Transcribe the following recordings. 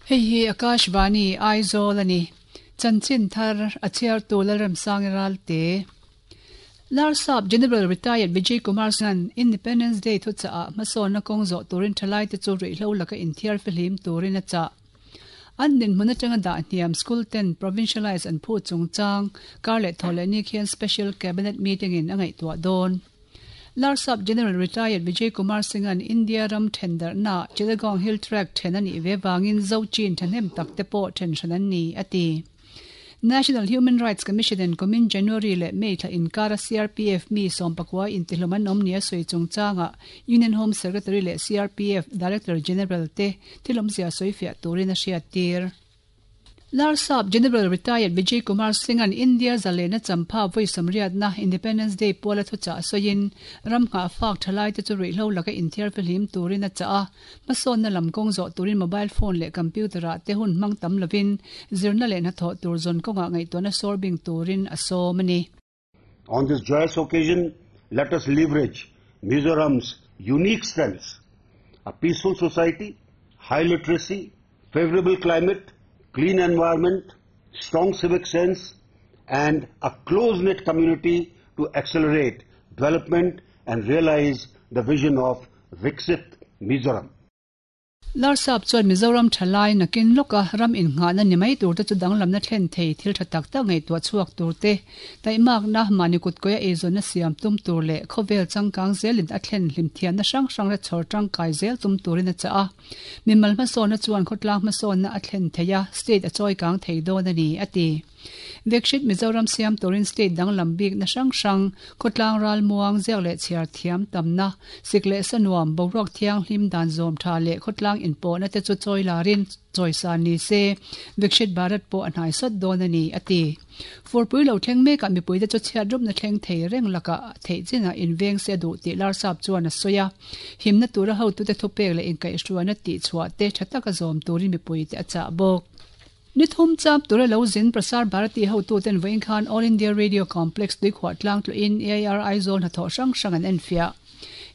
Hei hi Akashvani, Aizawl a ni. Chanchin thar a chhiartu Lalremsangi Ralte. Larsap General Retired Vijay Kumar Singh-a'n Independence Day thuchahah hmasawnna kawng zawh turin thalaite chu ruihhlo laka inthiar fihlim turin a chah. An dinhmun atanga dah hniam school ten provincialise an phut chungchang kar leh thaw leh ni khian Special Cabinet Meeting in a ngaihtuah dawn. Larsap General Retired Vijay Kumar Singh-a'n India ram then darhnaah Chittagong Hill Tract then a nih ve vangin Zochin thahnem tak te pawh then hran an ni, a ti. National Human Rights Commission in kumin January leh May thla inkara CRPF mi sawmpakua intihlawm an awm nia sawi chungchangah Union Home Secretary leh CRPF Director General te thil awmzia sawifiah turin a hriattir. Larsap General Retired Vijay Kumar Singh-a'n India zalena champha vawi sawmriatna Independence Day puala thuchah sawiin ram nghah fak thalaite chu ruihhlo laka inthiar fihlim turin a chah a, hmasawnna lam kawng zawh turin mobile phone leh computer-ah te hun hmang tam lovin zirna leh hnathawh tur zawn kawngah ngaihtuahna sawr bing turin a sawm a ni. On this joyous occasion, let us leverage Mizoram's unique strengths, a peaceful society, high literacy, favorable climate, clean environment, strong civic sense, and a close-knit community to accelerate development and realize the vision of Viksit Mizoram. Larsap chuan Mizoram thalai nakin lawka ram innghahna ni mai turte chu danglamna thlen thei thil tha tak tak ngaihtuah chhuak turte, taihmakna, mahni kutkawia eizawnna siam tum tur leh khawvel changkang zelin a thlen hlim thiamna hrang hrang la chhawr tangkai zel tum turin a chah a. Mimal hmasawnna chuan khawtlang hmasawnna a thlen thei a, state a chawikang thei dawn a ni, a ti. Vekshit Mizoram siam turin state danglam bikna hrang hrang, khawtlang ralmuang, ziak leh chhiar thiam tamna, sik leh sa nuam, boruak thianghlim dan zawm tha leh khawtlang inpawhna te chu chawi larin chawisa ni se, Vikshit Bharat pawh a hnai sawt dawn a ni, a ti. Furpui lo thleng mekah mipuite chu chhiat rupna thleng thei reng lakah theih chinah inveng se a duh tih Larsap chuan a sawi a. Himna tura hotute thupek leh inkaihhruaina tihchhuah te tha taka zawm turin mipuite a chah bawk. Ni thum chap tura lo zin Prasar Bharati hotuten vawiin khan All India Radio Complex tuikhuah tlang tluin AIR Aizawl hnathawh hrang hrang an enfiah.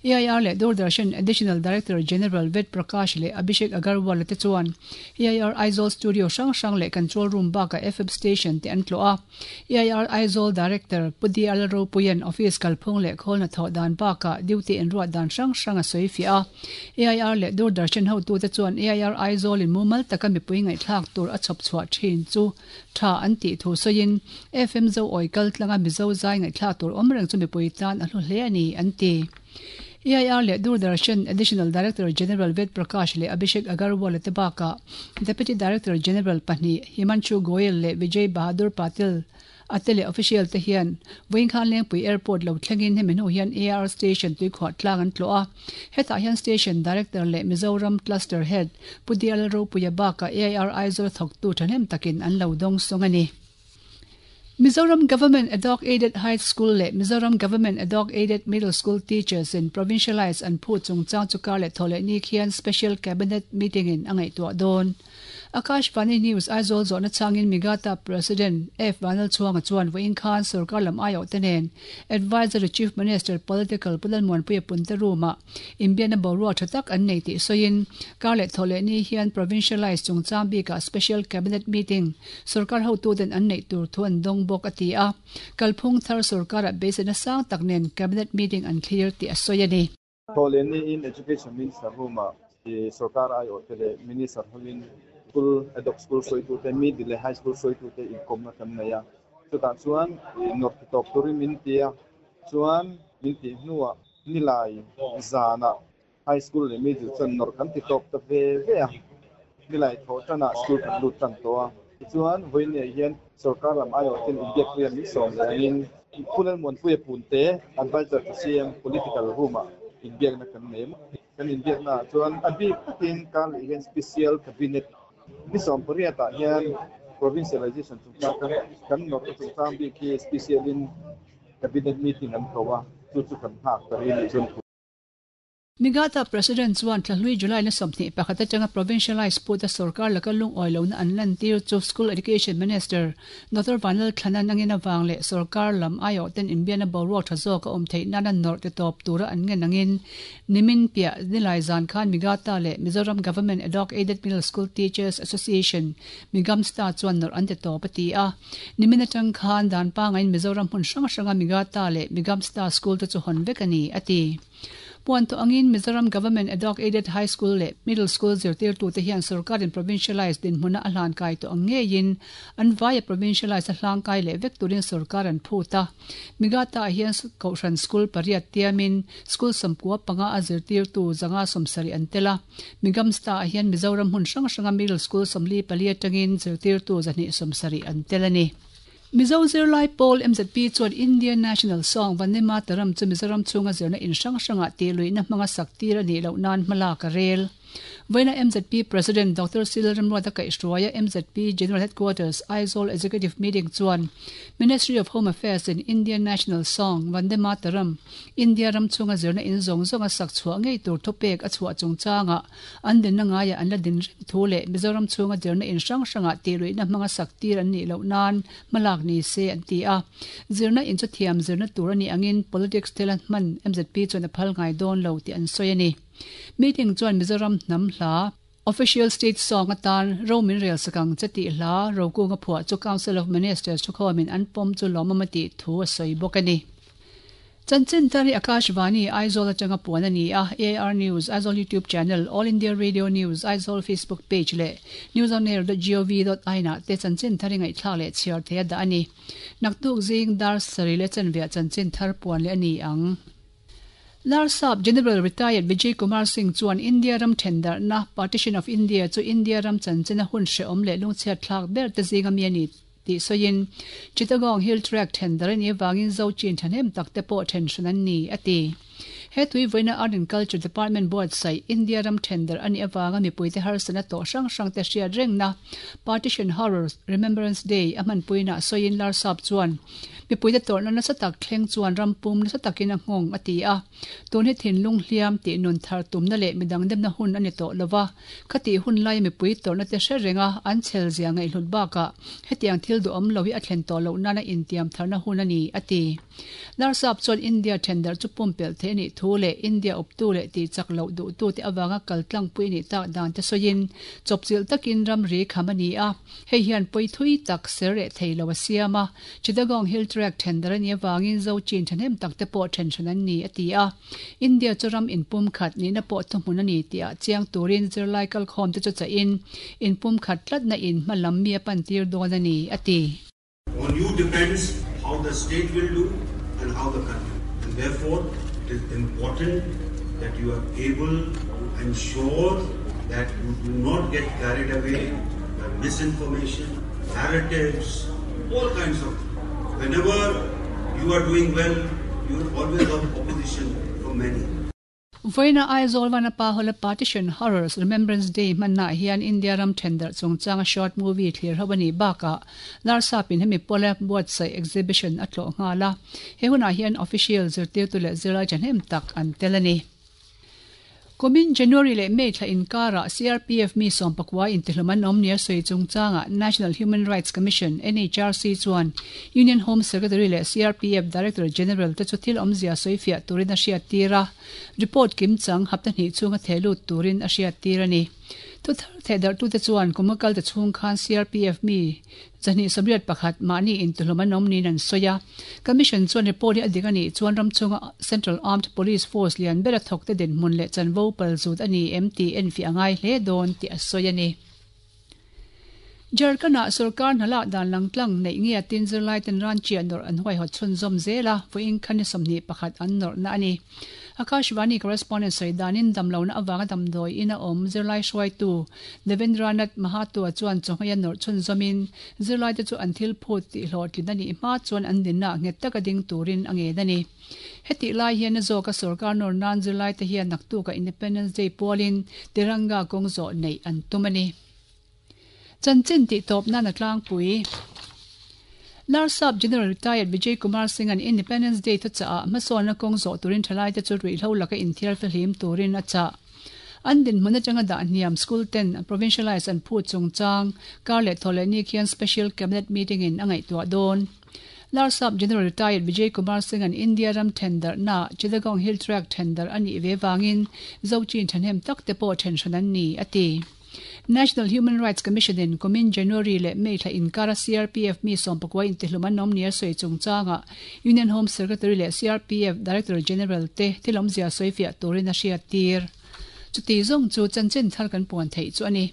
AIR leh Doordarshan Additional Director General Ved Prakash leh Abhishek Agarwal-a te chuan AIR Aizawl Studio hrang hrang leh Control Room bakah FM Station te an tlawh a. AIR Aizawl Director Pu DL Ropuia'n office kalphung leh khawl hnathawh dan bakah duty inruat dan hrang hrang a sawi fiah a. AIR leh Doordarshan hotute chuan AIR Aizawl in mumal taka mipui ngaihthlak tur a chhawp chhuah thin chu tha an tih thu sawiin FM Zo awi kal tlanga Mizo zai ngaihthlak tur awm reng chu mipui tan a hlu hle a ni an ti. AIR leh Doordarshan Additional Director General Ved Prakash leh Abhishek Agarwal-a te bakah Deputy Director General pahnih Himanshu Goyal leh Vijay Bahadur Patil a te leh official te hian Vawinkhan Lengpui Airport lo thlengin hemi hnu hian AR Station tuikhuah tlang an tlawh a. Hetah hian Station Director leh Mizoram Cluster Head Pu DL Ropuia bakah AIR Aizawl thawktu thahnem takin an lo dawngsawng a ni. Mizoram Government Adhoc Aided High School leh Mizoram Government Adhoc Aided Middle School Teachers in Provincialise an phut chungchang chu kar leh thaw leh ni khian Special Cabinet Meeting in a ngaihtuah dawn. Akashvani News Aizawl zawhna changin Migata President F Vanlalchhuanga chuan vawiin khan sorkar lam aiawhte nen Advisory Chief Minister Political Pu Lalmuanpuia Punte room-ah inbiakna boruak tha tak an nei tih sawiin kar leh thaw leh ni hian Provincialise chungchang bikah Special Cabinet Meeting sorkar hotuten an neih tur thu an dawng bawk a ti a. Kalphung thar sorkarah beiseina sang tak nen Cabinet Meeting an thlir tih a sawi a ni. Thawhlehniin Education Minister room-ah sorkar aiawhte leh Minister hovin school ad hoc school hruaitute, middle leh high school hruaitute inkawmna kan nei a. Chutah chuan nawrh ti tawp turin min ti a, chuan min tih hnuah nilai zanah high school leh middle chuan nawrh kan ti tawp ta ve ve a. Nilai thawh tanah school kan lut tan tawh a. Tichuan vawiinah hian sorkar lam aiawhten inbiakpuia min sawm leh angin Pu Lalmuanpuia Punte Advisor to CM Political Room-ah inbiakna kan nei a. Kan inbiaknaah chuan a bik takin Karleh hian Special Cabinet ni 18-ah hian Provincialization chungchang kan kan nawrhna chungchang bik hi special-in Cabinet meeting an ko a, chu chu kan nghak ta rih a nih chuan. Migata President chuan thlahlui July ni 21 atanga provincialise puta sorkar laka lungawi lohna an lantir chu School Education Minister Doctor Vanlal Thlana angin avang leh sorkar lam aiawh ten inbiakna boruak tha zawk a awm theih nana nawrh ti tawp tura an ngen angin nimin piah nilai zan khan Migata leh Mizoram Government Adhoc Aided Middle School Teachers Association Migamsta chuan nawrh an ti tawp a ti a. Nimin atang khan dan pangaiin Mizoram hmun hrang hranga Migata leh Migamsta school te chu hawn vek a ni, a ti. Puan tawh angin Mizoram Government Adhoc Aided High School leh Middle School zirtirtute hian sorkarin provincialised dinhmuna a hlankai tawh ang ngeiin an vaia provincialised a hlangkai leh vek turin sorkar an phut a. Migata-ah hian Kohhran School pariat tiamin School 95 a zirtirtu 170 an tel a. Migamsta-ah hian Mizoram hmun hrang hranga Middle School 44 atangin zirtirtu 270 an tel a ni. Mizo zirlai pawl MZP chuan Indian National Song Vande Mataram chu Mizoram chhunga zirna in hrang hrangah tihluihna hmanga sak tir a nih loh nan hmalak a rel. Vawiina MZP President Doctor Cyril Ramruata kaihhruaia MZP General Headquarters Aizawl Executive Meeting chuan Ministry of Home Affairs in Indian National Song Vande Mataram India ram chhunga zirna in zawng zawnga sak chhuah ngei tur thupek a chhuah chungchangah An dinna ngaiah an la din reng thu leh Mizoram chhunga zirna in hrang hrangah tihluihna hmanga sak tir an nih loh nan hmalak ni se an ti a. Zirna in chu thiam zirna tur a nih angin politics thila hman mzp chuan a phal ngai dawn lo tih an sawi a ni. Meeting chuan Mizoram hnam hla, Official State Song atan ro min rel sak ang che tih hla Rokunga phuah chu Council of Ministers thukhawmin an pawm chu lawmawm a tih thu a sawi bawk a ni. Chanchin thar hi Akashvani, Aizawl atanga puan a ni a, AIR News, Aizawl YouTube Channel, All India Radio News, Aizawl Facebook Page leh newsonair.gov.in ah te chanchin thar hi ngaihthlak leh chhiar theih a dah a ni. Naktuk zing dar sarih leh chanveah chanchin thar puan leh a ni ang. Larsap General Retired Vijay Kumar Singh chuan India ram thendarhna, Partition of India, chu India ram chanchina hun hrehawm leh lungchhiatthlak ber te zinga mi a ni tih sawiin, Chittagong Hill Tract then dar a nih avangin Zo chin thahnem tak te pawh then hran an ni, a ti. He tui vawiina Art and Culture Department buatsaih India ram then dar a nih avanga mipuite harsatna tawh hrang hrang te hriat rengna Partition Horror Remembrance Day a hmanpuinaah sawiin Larsap chuan mipuite tawrhna nasa tak thleng chuan ram pum nasa takin a nghawng a ti a. Tun hi thinlung hliam tih nun thar tumna leh midang demna hun a ni tawh lova, Khati hun laia mipui tawrhna te hre renga an chhel zia ngaihhlut bakah hetiang thil duhawm lo hi a thlen tawh loh nana intiam tharna hun a ni, a ti. Larsap chuan India thendarh chu pumpelh theih a nih thu leh India awptu leh tihchak loh duhtute avanga kal tlangpui a nih tak dan te sawiin chawpchilh takin ramri kham a ni a, hei hian pawi thui tak ser reh thei lo a siam a, Chittagong Hill Tract thendarh a nih avangin Zo chin thahnem tak te pawh then hran an ni, a ti a. India chu ram inpumkhat nihna pawh thuhmun a ni tih chiang turin zirlai kalkhawm te chu chahin inpumkhat tlatna in hma lam mi a pan tir dawn a ni, a ti. On you depends how the state will do and how the country and therefore it is important that you are able to ensure that you do not get carried away by misinformation, narratives, all kinds of whenever you are doing well you will always have opposition from many. Vawiina Aizawl Vanapa Hall-a Partition Horrors Remembrance Day hmannaah hian India ram thendarh chungchanga short movie thlir ho a nih bakah Larsapin hemi pawla buatsaih exhibition a tlawh nghal a. He hunah hian official zirtirtu leh zirlai thahnem tak an tel a ni. Kumin January leh May thla inkarah CRPF mi sawmpakua intihlawm an awm nia sawi chungchangah National Human Rights Commission, NHRC, chuan Union Home Secretary leh CRPF Director General te chu thil awmzia sawifiah turin a hriattir a, report kimchang hapta hnih chhunga thehlut turin a hriattir a ni. Thuthar thehdarhtute chuan kum a kal ta chhung khan CRPF mi 281 mahni intuhlawm an awm niin an sawi a. Commission chuan report hi a dik a nih chuan ram chhunga Central Armed Police Force lian bera thawkte dinhmun leh chanvo pal zut a ni em tih enfiah a ngai hle dawn tih a sawi a ni. Jharkhand-ah sorkar hna lak dan langtlang neih nge tin zirlaiten ran chiah nawrh an huaihawt chhunzawm zel a, vawiin khan ni 21 an nawrhna a ni. Akashvani correspondent sawi danin damlohna avanga damdawi in a awm zirlai hruaitu Devendranath Mahato chuan chawhmei a nawrh chhunzawmin zirlaite chu an thil phut tih hlawhtlin a nih hma chuan an dinna nghet taka ding turin a ngen a ni. Hetih lai hian a zawka sorkar nawr nan zirlaite hian naktuka Independence Day pualin Tiranga kawng zawh neih an tum a ni. Chanchin tih tawp nan a tlangpui. Larsap General Retired Vijay Kumar Singh-a'n Independence Day thuchahah hmasawnna kawng zawh turin thalaite chu ruihhlo laka inthiar fihlim turin a chah. An dinhmun atanga dah hniam school ten provincialise an phut chungchang kar leh thaw leh ni khian Special Cabinet Meeting in a ngaihtuah dawn. Larsap General Retired Vijay Kumar Singh-a'n India ram then darhna Chittagong Hill Tract then darh a nih ve vangin Zochin thahnem tak te pawh then hran an ni, a ti. National Human Rights Commission in kumin January leh May thla inkara CRPF mi sawmpakua intihlum an awm nia sawi chungchangah Union Home Secretary leh CRPF Director General te thil awmzia sawifiah turin a hriattir. Chuti zawng chu chanchin thar kan puan theih chu a ni.